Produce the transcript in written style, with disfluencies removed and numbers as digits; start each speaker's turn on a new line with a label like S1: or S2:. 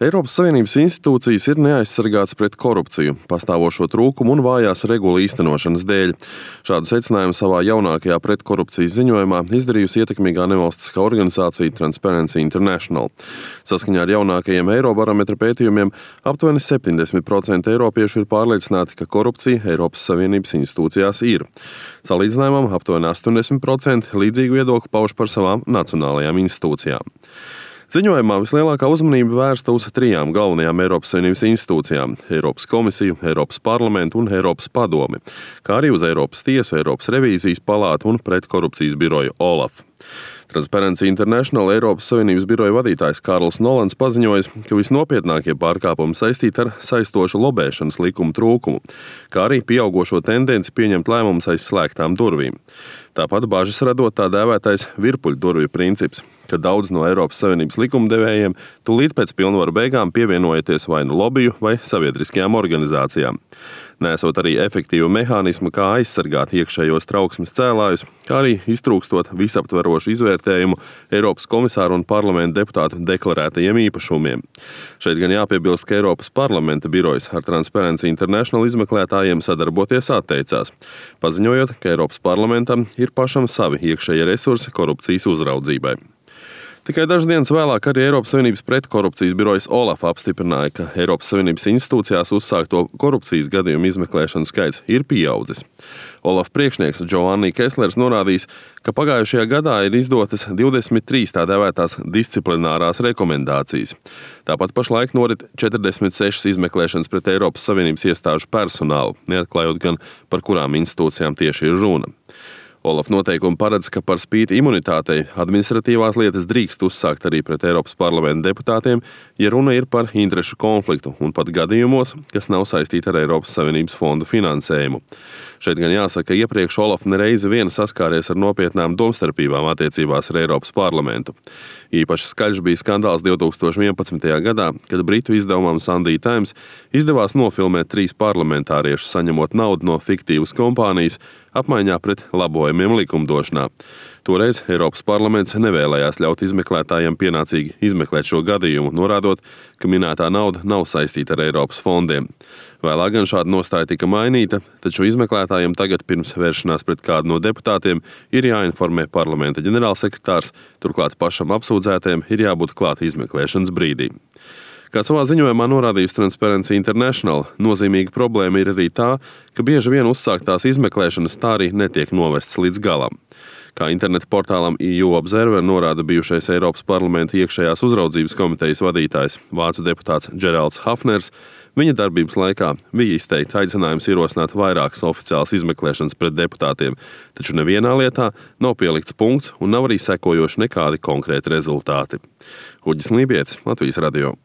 S1: Eiropas Savienības institūcijas ir neaizsargātas pret korupciju, pastāvošo trūkumu un vājās regulu īstenošanas dēļ. Šādu secinājumu savā jaunākajā pretkorupcijas ziņojumā izdarījusi ietekmīgā nevalstiskā organizācija Transparency International. Saskaņā ar jaunākajiem Eirobarometra pētījumiem aptuveni 70% eiropiešu ir pārliecināti, ka korupcija Eiropas Savienības institūcijās ir. Salīdzinājumam aptuveni 80% līdzīgu viedokli pauž par savām nacionālajām institūcijām. Ziņojumā vislielākā uzmanība vērsta uz 3 galvenajām Eiropas Savienības institūcijām – Eiropas komisiju, Eiropas parlamentu un Eiropas padomi, kā arī uz Eiropas tiesu, Eiropas revīzijas palātu un pretkorupcijas biroju OLAF. Transparency International Eiropas Savienības biroja vadītājs Kārls Nolans paziņojis, ka visnopietnākie pārkāpumi saistīti ar saistošu lobēšanas likumu trūkumu, kā arī pieaugošo tendenci pieņemt lēmumus aiz slēgtām durvīm. Tāpat bažas radot tā dēvētais virpuļdurvju princips, ka daudz no Eiropas Savienības likumdevējiem tūlīt pēc pilnvaru beigām pievienojoties vai nu lobiju vai sabiedriskajām organizācijām. Nesot arī efektīvu mehānismu, kā aizsargāt iekšējos trauksmes cēlājus, kā arī iztrūkstot visaptverošu izvērtējumu Eiropas komisāru un parlamenta deputātu deklarētajiem īpašumiem. Šeit gan jāpiebilst, ka Eiropas parlamenta birojas ar Transparency International izmeklētājiem sadarboties atteicās, paziņojot, ka Eiropas parlamentam ir pašam savi iekšējie resursi korupcijas uzraudzībai. Tikai dažas dienas vēlāk arī Eiropas Savienības pretkorupcijas birojas OLAF apstiprināja, ka Eiropas Savienības institūcijās uzsākto korupcijas gadījumu izmeklēšanas skaits ir pieaudzis. OLAF priekšnieks Giovanni Kesslers norādījis, ka pagājušajā gadā ir izdotas 23 tā dēvētās disciplinārās rekomendācijas. Tāpat pašlaik norit 46 izmeklēšanas pret Eiropas Savienības iestāžu personālu, neatklājot gan par kurām institūcijām tieši ir runa. OLAF noteikumi paredz, ka par spīti imunitātei administratīvās lietas drīkst uzsākt arī pret Eiropas parlamenta deputātiem, ja runa ir par interešu konfliktu un pat gadījumos, kas nav saistīti ar Eiropas Savienības fondu finansējumu. Šeit gan jāsaka, ka iepriekš OLAF nereizi vien saskāries ar nopietnām domstarpībām attiecībās ar Eiropas parlamentu. Īpaši skaļš bija skandāls 2011. gadā, kad britu izdevumam Sunday Times izdevās nofilmēt 3 parlamentāriešus saņemot naudu no fiktīvas kompānijas apmaiņā pret labojumiem likumdošanā. Toreiz Eiropas parlaments nevēlējās ļaut izmeklētājiem pienācīgi izmeklēt šo gadījumu, norādot, ka minētā nauda nav saistīta ar Eiropas fondiem. Vēlāk gan šāda nostāja tika mainīta, taču izmeklētājiem tagad pirms vēršanās pret kādu no deputātiem ir jāinformē parlamenta ģenerālsekretārs, turklāt pašam apsūdzētajam ir jābūt klāt izmeklēšanas brīdī. Kā savā ziņojumā norādījusi Transparency International, nozīmīga problēma ir arī tā, ka bieži vien uzsāktās izmeklēšanas tā arī netiek novestas līdz galam. Kā interneta portālam EU Observer norāda bijušais Eiropas parlamenta iekšējās uzraudzības komitejas vadītājs, vācu deputāts Geralds Hafners, viņa darbības laikā bija izteikts aicinājums ierosināt vairākas oficiālas izmeklēšanas pret deputātiem, taču nevienā lietā nav pielikts punkts un nav arī sekojoši nekādi konkrēti rezultāti. Uģis Lībietis, Latvijas radio.